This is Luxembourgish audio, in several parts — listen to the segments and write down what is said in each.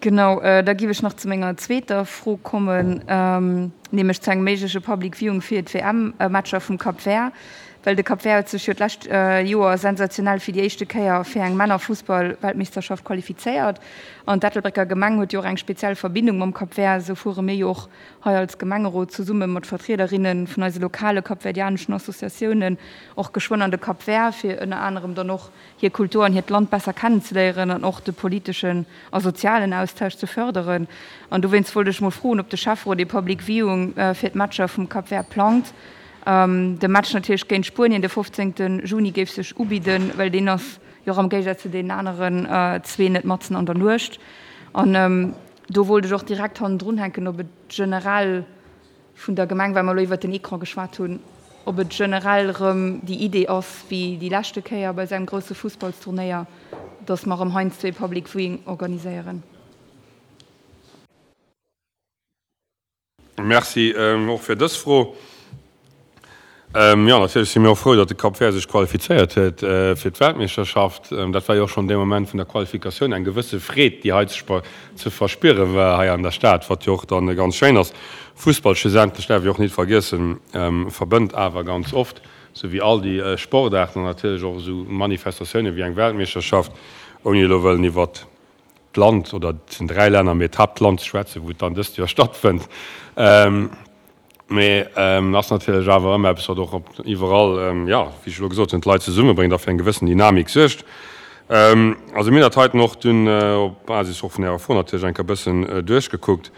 Genau, da giff ech nach zu menger zweeter Fro kommen, nämlech zu engem méigleche Public Viewing fir d'WM-Matcher vum Cap Vert. Well de Cap Vert huet sech jo d'lescht Joer sensationell fir déi éischte Kéier fir eng Männerfussball-Weltmeeschterschaft qualifizéiert. An d'Ettelbrécker Gemeng huet jo och eng speziell Verbindung mam Cap Vert. Esou fuere mir jo och hei als Gemengerot zesumme mat Vertriederinne vun eise lokale kapverdianeschen Associatiounen och geschwënn an de Cap Vert, fir ënner anerem dann och hir Kultur an hiert Land besser kennenzeléieren an och de politeschen a sozialen Austausch ze fërderen. An dowéinst wollt ech mol froen, ob de Schäfferot ee Public Viewing fir d'Matcher vum Cap Vert plangt. De Match natierlech géint Spuenien de 15 Juni géif sech ubidden, well deen ass jo och am Géigesaz zu deenen aneren zwee net matzen an der Nuecht. An do wollt ech och direkt hannendrun hänken, ob et generell vun der Gemeng, well mer elo iwwert den Ecran geschwat hunn, ob et generell erëm déi Idee ass, wéi déi leschte Kéier bei esou engem grousse Fussballsturnéier, datt mer erëm heiansdo ee Public Viewing organiséieren. Merci och fir dës Fro. Jo, natierlech si mir och frou, datt de Cap Vert sech qualifizéiert huet fir d'Weltmeeschterschaft. Dat war jo och schonn dee Moment vun der Qualifikatioun eng gewësse Freed, déi hei ze verspiere war hei an der Stad, wat jo och dann ganz schéin ass. Fussball schlussendlech, däerf ee och nit vergiessen, verbënnt awer ganz oft, sou wéi all déi Sportaarten an natierlech och esou Manifestatioune wéi eng Weltmeeschterschaft, ouni elo wëllen iwwert d'Land, oder et sinn 3 Länner, mee d'Haaptland ze schwätzen, wou et dann dëst Joer stattfënnt. Mee ass natierlech awer ëmmer eppes, wat och op iwwerall, jo, wéi ech elo gesot hunn, d'Leit zesummebréngt a fir eng gewëssen Dynamik suergt. Also mir hunn dat heiten och dunn op Basis och vun Ärer Fro natierlech eng Kéier e bëssen duerchgekuckt.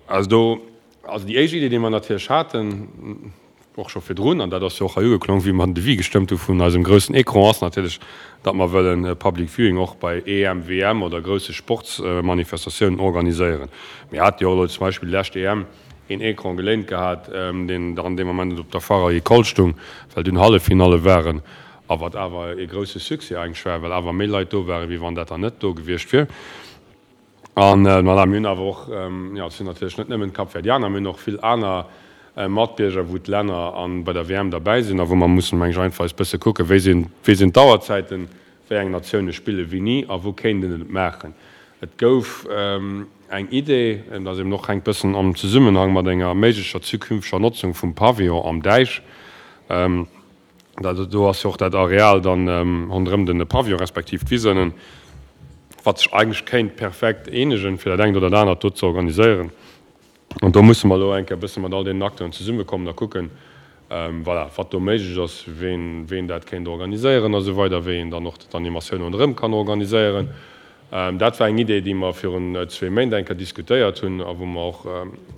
Also do, also déi éischt Idee, déi mer natierlech haten, och scho virdrun, an dat ass jo och hei ugeklong, wéi mer den Devis gestëmmt hu vun eisem groussen Ecran, ass natierlech, datt mer wëllen e Public Viewing och bei EM, WM oder grousse Sportsmanifestatiounen organiséieren. Mir hate jo och elo zum Beispill déi lescht EM een Ecran geléint gehat, deen dann dee Moment net op der Foire Agricole stung, well dunn Halleffinalle waren, a wat awer ee grousse Succès eigentlech war, well awer méi Leit do waren, wéi wann dat dann net do gewiescht wier. An voilà, mir hunn awer och, jo, et sinn natierlech net nëmmen d'Kapverdianer, mir hunn och vill aner Matbierger, wou d'Länner an bei der WM derbäi sinn a wou mer mussen, meng ech, einfach eis bësse kucken, wéi sinn, wéi sinn d'Auerzäiten, wéi eng Natioune spille wéini a wou kéint een et maachen. Et gouf eng Idee, dat ass eben och, hänkt bëssen am Zesummenhang mat enger méiglecher zukünfteger Notzung vum Pavillon am Däich, Do ass jo och dat Areal dann ronderëm den Pavillon respektiv d'Wisënnen, wat sech eigentlech kéint perfekt eenegen, fir dat engt oder dat anert do ze organiséieren. An do musse mer elo eng Kéier e bësse mat all deenen Acteuren zesummekommen a kucken, voilà, wat do méiglech ass, ween, ween dat kéint organiséieren a sou weider, wéi een dann och d'Animatioun ronderëm kann organiséieren. Dat war eng Idee, déi mer virun zwee Méint eng Kéier diskutéiert hunn a wou mer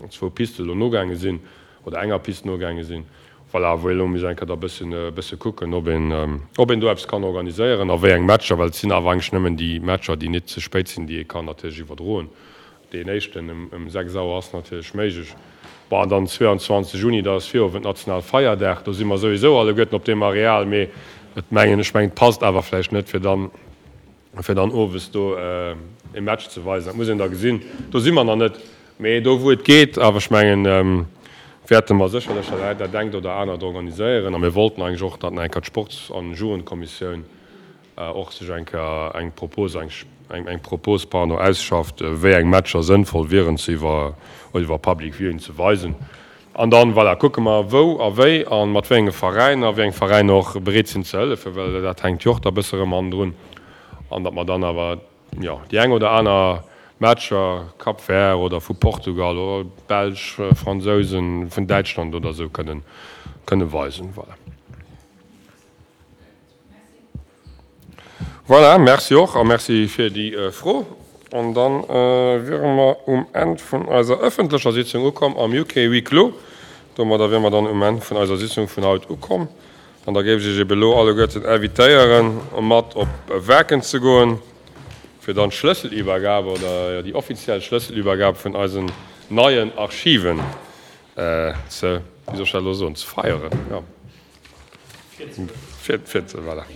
och zwou Piste elo nogaange sinn. oder enger Pist nogaange sinn, voilà, wou ee elo muss eng Kéier da bëssen, bësse kucken, ob een, ob een do eppes kann organiséieren a wéi eng Matcher, well et sinn awer eigentlech nëmmen déi Matcher, déi net ze spéit sinn, déi ee kann natierlech iwwerdroen. Deen éischten ëm, ëm 6 Auer ass natierlech méiglech. Bon, an dann 22 Juni, dat ass Virowend, Nationalfeierdag, do si mer souwisou alleguerten op deem Areal, mee et mengen, ech mengen, et passt awer vläicht net, fir dann, fir dann owes do e Match ze weisen, dat muss een da gesinn. Do si mer nach net, mee do wou et geet, awer ech mengen, wäerte mer sécherlech dat engt oder anert organiséieren. A mir wollten eigentlech och, datt nach eng Kéier d'Sports an Jugendkommissioun och sech eng Kéier eng Propos, eng Propos, pardon, ausschafft, wéi eng Matcher sënnvoll wieren ze iwwer iwwer Public Viewing ze weisen. An dann, voilà, kucke mer wou a wéi a mat wéi enge Veräiner, wéi eng Veräiner och bereet sinn ze hëllefen, well dat hänkt jo och da bësse rëm hannendrun. An datt mer dann awer, jo, déi eng oder aner Matcher, Cap Vert oder vu Portugal oder Belsch, Fransousen, vun Däitschland oder esou kënnen, kënne weisen. Voilà. Voilà, merci och a merci fir déi Fro. An da wiere mer um Enn vun eiser ëffentlecher Sitzung ukomm am UK huis clos. Domadder wiere mer dann um Enn vun eiser Sitzung vun haut ukomm. An da géif ech Iech ebe elo alleguerten invitéieren, mat op Waarken ze goen, fir dann d'Schlësselübergab oder déi offiziell Schlësselübergab vun eisen neien Archiven ze, wéi soll ech dat elo soen, ze feieren, jo. Fir, fir, voilà.